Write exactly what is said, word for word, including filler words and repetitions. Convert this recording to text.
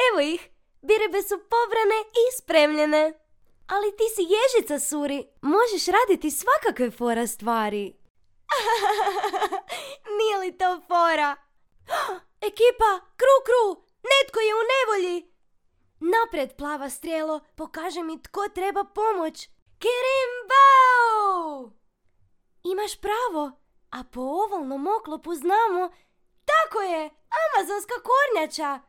Evo ih, biribe su pobrane i spremljene. Ali ti si ježica, Suri, možeš raditi svakakve fora stvari. Nije li to fora? Ekipa, kru, kru, netko je u nevolji. Naprijed, plava strijelo, pokaži mi tko treba pomoć. Kirimbau! Imaš pravo, a po ovalnom oklopu znamo, tako je, amazonska kornjača.